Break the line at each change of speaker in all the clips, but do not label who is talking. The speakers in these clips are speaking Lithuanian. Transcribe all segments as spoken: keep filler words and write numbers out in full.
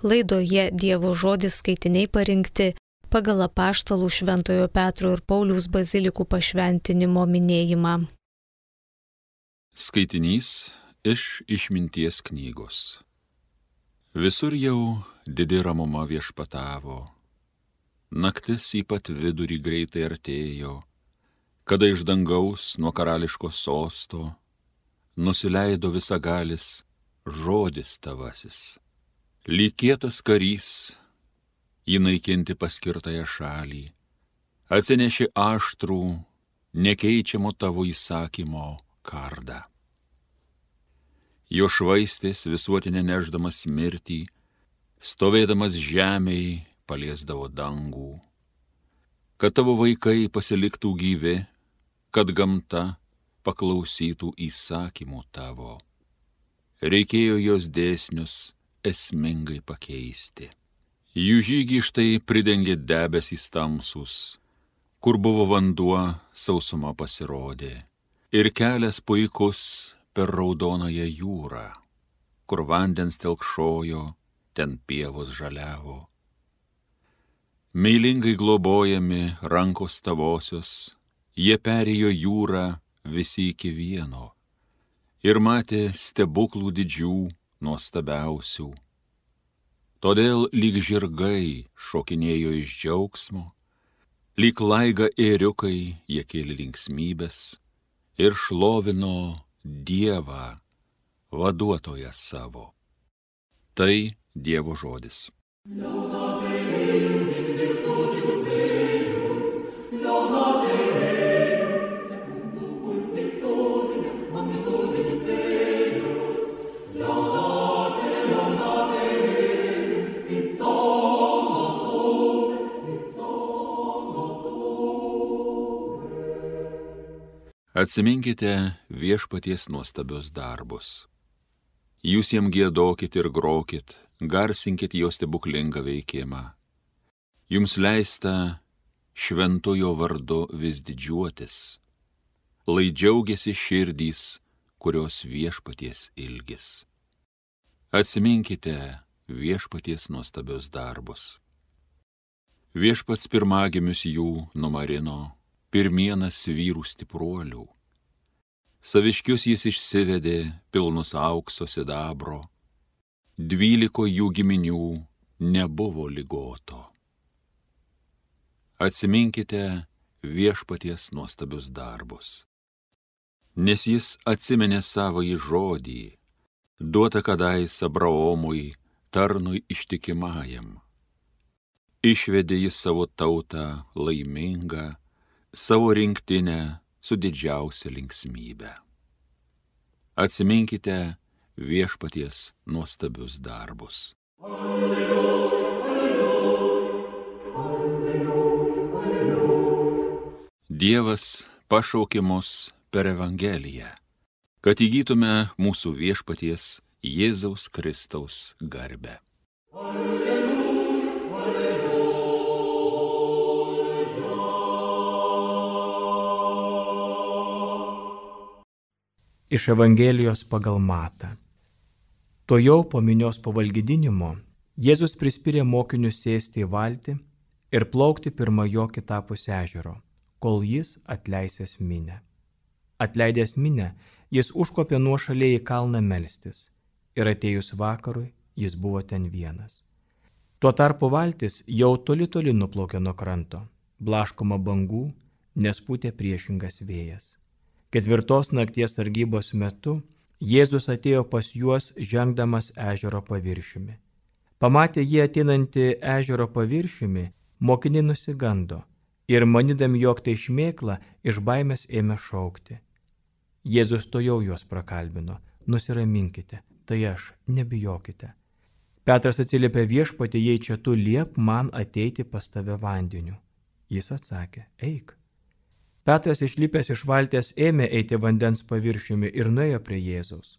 Laidoje Dievo žodis skaitiniai parinkti pagal apaštalų Šventojo Petro ir Pauliaus bazilikų pašventinimo minėjimą.
Skaitinys iš Išminties knygos. Visur jau didi ramuma viešpatavo, naktis į pat vidurį greitai artėjo, kada iš dangaus nuo karališko sosto nusileido visagalis žodis tavasis. Lyg kietas karys, jį naikinti paskirtąją šalį, atsinešė aštrų, nekeičiamo tavo įsakymo kardą. Jo švaistės visuotinė neždamas mirtį, stovėdamas žemėj paliesdavo dangų, kad tavo vaikai pasiliktų gyvi, kad gamta paklausytų įsakymų tavo. Reikėjo jos dėsnius esmingai pakeisti. Jų žygį štai pridengė debesys tamsus, kur buvo vanduo, sausuma pasirodė, ir kelias puikus per raudonąją jūrą, kur vandens telkšojo, ten pievos žaliavo. Meilingai globojami rankos tavosios, jie perėjo jūrą visi iki vieno ir matė stebuklų didžių, nuostabiausių. Todėl lyg žirgai šokinėjo iš džiaugsmo, lyg laiga ėriukai jie kėlė linksmybės ir šlovino Dievą, vaduotoją savo. Tai Dievo žodis. Atsiminkite viešpaties nuostabius darbus. Jūs jam giedokit ir grokit, garsinkit jo stebuklingą veikimą. Jums leista šventojo vardu vis didžiuotis, lai džiaugiasi širdys, kurios viešpaties ilgis. Atsiminkite viešpaties nuostabius darbus. Viešpats pirmagimius jų numarino, pirmienas vyrų stipruolių. Saviškius jis išsivedė pilnus aukso sidabro, dvyliko jų giminių nebuvo ligoto. Atsiminkite viešpaties nuostabius darbus. Nes jis atsiminė savąjį žodį, duotą kadais Abraomui, tarnui ištikimajam. Išvedė jis savo tautą laimingą, savo rinktinę su didžiausia linksmybe. Atsiminkite viešpaties nuostabius darbus. Alleluja, alleluja, alleluja, alleluja. Dievas pašaukė mus per Evangeliją, kad įgytume mūsų viešpaties Jėzaus Kristaus garbę. Alleluja, alleluja.
Iš Evangelijos pagal Matą. Tuojau po minios pavalgydinimo Jėzus prispyrė mokinius sėsti į valtį ir plaukti pirma jo kitapus ežero, kol jis atleisęs minę. Atleidęs minę, jis užkopė nuošaliai į kalną melstis ir atėjus vakarui jis buvo ten vienas. Tuo tarpu valtis jau toli toli nuplaukė nuo kranto, blaškoma bangų, nes pūtė priešingas vėjas. Ketvirtos nakties sargybos metu Jėzus atėjo pas juos žengdamas ežero paviršiumi. Pamatė jį ateinantį ežero paviršiumi, mokiniai nusigando ir manydami, jog tai šmėkla, iš baimės ėmė šaukti. Jėzus tuojau juos prakalbino: nusiraminkite, tai aš, nebijokite. Petras atsiliepė: viešpatie, jei čia tu, liep man ateiti pas tave vandeniu. Jis atsakė: eik. Petras išlipęs iš valties ėmė eiti vandens paviršiumi ir nuėjo prie Jėzaus.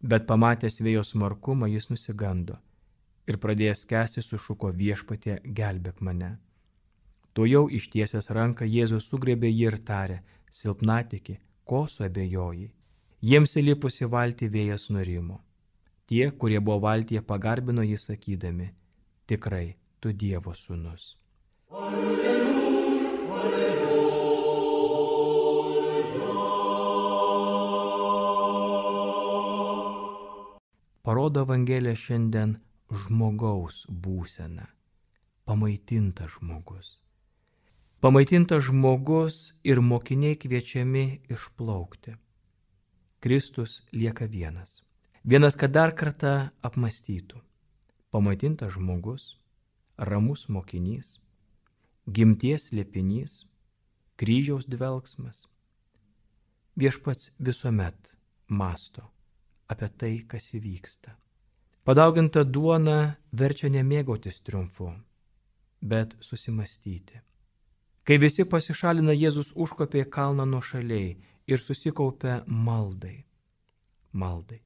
Bet pamatęs vėjo smarkumą jis nusigando ir pradėjęs skęsti sušuko: viešpatie, gelbėk mane. Tuojau ištiesęs ranką Jėzus sugriebė jį ir tarė: silpnatiki, ko suabejojai? Jiems įlipus į valtį vėjas nurimo. Tie, kurie buvo valtyje, pagarbino jį sakydami: tikrai tu Dievo sūnus.
Alleluja, alleluja.
Parodo Evangelija šiandien žmogaus būseną. Pamaitintas žmogus. Pamaitintas žmogus ir mokiniai kviečiami išplaukti. Kristus lieka vienas. Vienas, kad dar kartą apmąstytų. Pamaitintas žmogus, ramus mokinys, gimties slėpinys, kryžiaus dvelgsmas. Viešpats visuomet mąsto apie tai, kas įvyksta. Padauginta duona verčia nemėgautis triumfu, bet susimastyti. Kai visi pasišalina, Jėzus užkopė į kalną nuošaliai ir susikaupė maldai. Maldai.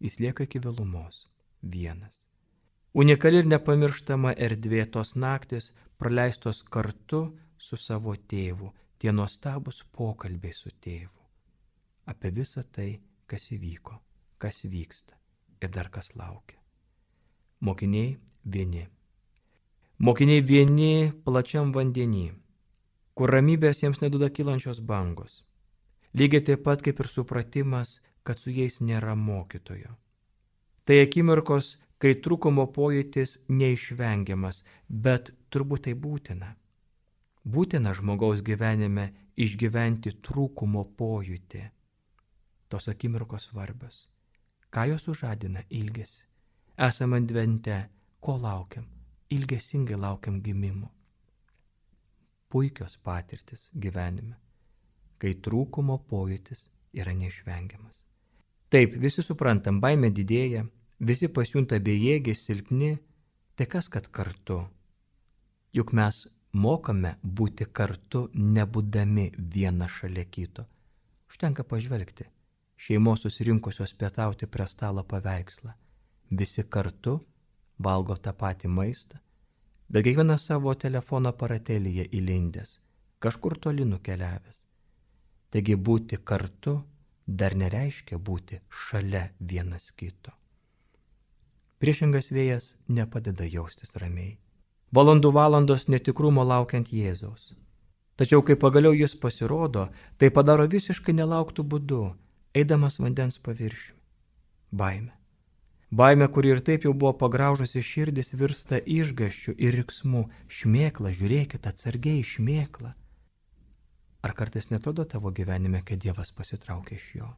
Jis lieka iki vėlumos, vienas. Unikali ir nepamirštama erdvė tos naktis praleistos kartu su savo tėvu, tie nuostabus pokalbiai su tėvu. Apie visą tai, kas įvyko, kas vyksta ir dar kas laukia. Mokiniai vieni. Mokiniai vieni plačiam vandenį, kur ramybės jiems neduoda kylančios bangos. Lygiai taip pat kaip ir supratimas, kad su jais nėra mokytojo. Tai akimirkos, kai trūkumo pojūtis neišvengiamas, bet turbūt tai būtina. Būtina žmogaus gyvenime išgyventi trūkumo pojūtį. Tos akimirkos svarbios. Ką jos sužadina? Ilgesį. Esame advente, ko laukiam? Ilgesingai laukiam gimimo. Puikios patirtis gyvenime, kai trūkumo pojūtis yra neišvengiamas. Taip, visi suprantam, baimė didėja, visi pasijunta bejėgiai, silpni, tai kas kad kartu? Juk mes mokame būti kartu, nebūdami viena šalia kito. Užtenka pažvelgti šeimos susirinkusios pietauti prie stalo paveikslą. Visi kartu valgo tą patį maistą, bet kiekvienas savo telefono aparatėlyje įlindęs, kažkur toli nukeliavęs. Taigi būti kartu dar nereiškia būti šalia vienas kito. Priešingas vėjas nepadeda jaustis ramiai. Valandų valandos netikrumo laukiant Jėzaus. Tačiau kai pagaliau jis pasirodo, tai padaro visiškai nelauktų būdu, eidamas vandens paviršiumi. Baimė. Baimė, kuri ir taip jau buvo pagraužusi širdis, virsta išgąsčiu ir riksmu. Šmėkla, žiūrėkit, atsargiai šmėkla. Ar kartais netrodo tavo gyvenime, kad Dievas pasitraukia iš jo?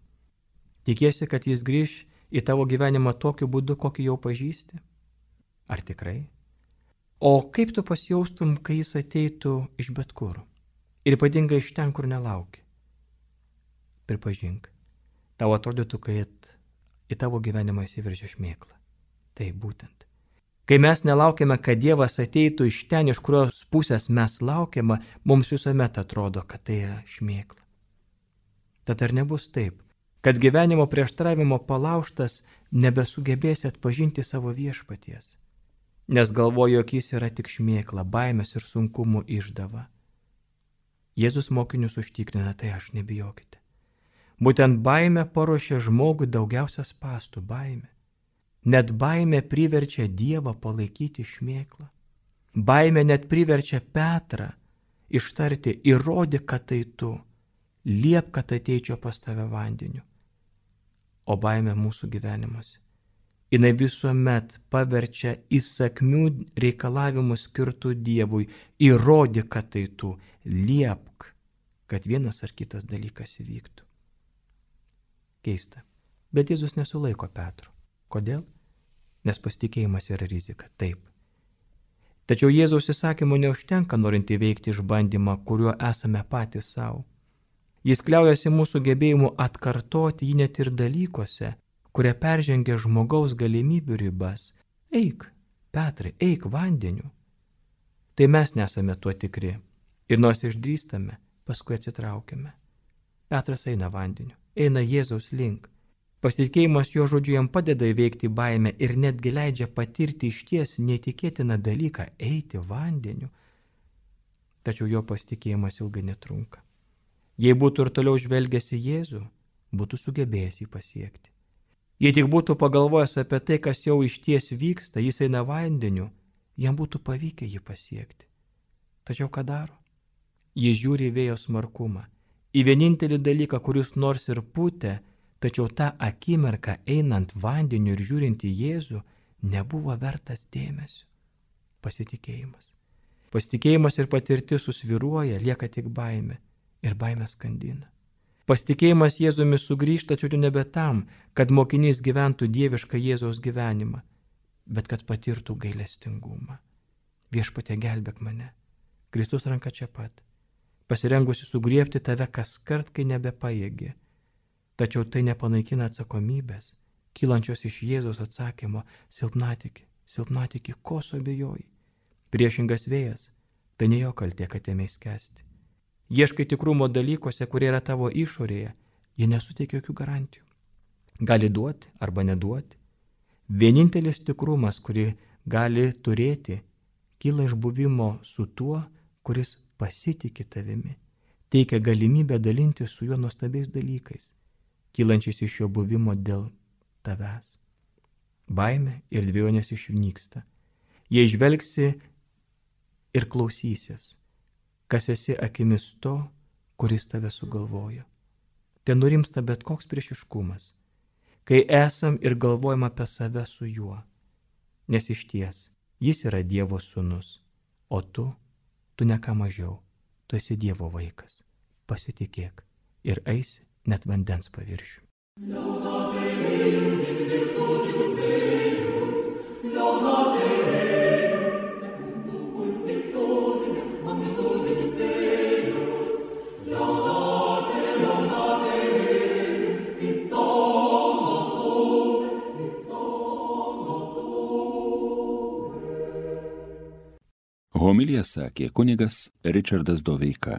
Tikiesi, kad jis grįš į tavo gyvenimą tokiu būdu, kokį jau pažįsti? Ar tikrai? O kaip tu pasijaustum, kai jis ateitų iš bet kur? Ir ypatingai iš ten, kur nelauki? Pripažink, tau atrodytų, kad į tavo gyvenimą įsiveržia šmėkla. Tai būtent. Kai mes nelaukiame, kad Dievas ateitų iš ten, iš kurios pusės mes laukiame, mums visuomet atrodo, kad tai yra šmėkla. Tad ar nebus taip, kad gyvenimo prieštaravimo palaužtas nebesugebėsi atpažinti savo viešpaties, nes galvoju, jog jis yra tik šmėkla, baimės ir sunkumų išdava. Jėzus mokinius užtikrina, tai aš nebijokite. Būtent baimė paruošia žmogui daugiausia spąstų, baimė. Net baimė priverčia Dievą palaikyti šmėklą. Baimė net priverčia Petrą ištarti, įrodyk, kad tai tu, liep, kad ateičiau pas tave vandeniu. O baimė mūsų gyvenimuose. Jinai visuomet paverčia įsakmių reikalavimų skirtų Dievui, įrodyk, kad tai tu, liepk, kad vienas ar kitas dalykas įvyktų. Keista, bet Jėzus nesulaiko Petro. Kodėl? Nes pasitikėjimas yra rizika, taip. Tačiau Jėzaus įsakymų neužtenka, norint įveikti išbandymą, kuriuo esame patys savo. Jis kliaujasi mūsų gebėjimu atkartoti jį net ir dalykuose, kurie peržengia žmogaus galimybių ribas. Eik, Petrai, eik vandeniu. Tai mes nesame tuo tikri. Ir nors išdrįstame, paskui atsitraukiame. Petras eina vandeniu, eina Jėzaus link. Pasitikėjimas jo žodžiu jam padeda įveikti baimę ir netgi leidžia patirti išties neįtikėtiną dalyką – eiti vandeniu. Tačiau jo pasitikėjimas ilgai netrunka. Jei būtų ir toliau žvelgęs į Jėzų, būtų sugebėjęs jį pasiekti. Jei tik būtų pagalvojęs apie tai, kas jau išties vyksta, jis eina vandeniu, jam būtų pavykę jį pasiekti. Tačiau ką daro? Jis žiūri į vėjo smarkumą, į vienintelį dalyką, kuris nors ir pūtė, tačiau tą akimirką einant vandeniu ir žiūrint į Jėzų nebuvo vertas dėmesio. Pasitikėjimas. Pasitikėjimas ir patirtis susviruoja, lieka tik baimė ir baimė skandina. Pasitikėjimas Jėzumi sugrįžta tačiau nebe tam, kad mokinys gyventų dievišką Jėzaus gyvenimą, bet kad patirtų gailestingumą. Viešpatie, gelbėk mane. Kristus ranka čia pat, pasirengusi sugriebti tave kas kart, kai nebepajėgi. Tačiau tai nepanaikina atsakomybės, kylančios iš Jėzaus atsakymo: silpnatiki, silpnatiki, ko suabejoji. Priešingas vėjas, tai ne jo kaltė, kad ėmei skęsti. Ieškai tikrumo dalykuose, kurie yra tavo išorėje, jie nesuteikia jokių garantijų. Gali duoti arba neduoti. Vienintelis tikrumas, kurį gali turėti, kyla iš buvimo su tuo, kuris pasitiki tavimi, teikia galimybę dalinti su juo nuostabiais dalykais, kylančiais iš jo buvimo dėl tavęs. Baimė ir dvejonės išnyksta. Jei žvelgsi ir klausysies, kas esi akimis to, kuris tave sugalvojo. Ten nurimsta bet koks priešiškumas, kai esam ir galvojam apie save su juo, nes iš ties jis yra Dievo sūnus, o tu, tu ne ką mažiau, tu esi Dievo vaikas. Pasitikėk ir eisi net vandens paviršių.
Homiliją sakė kunigas Ričardas Doveika.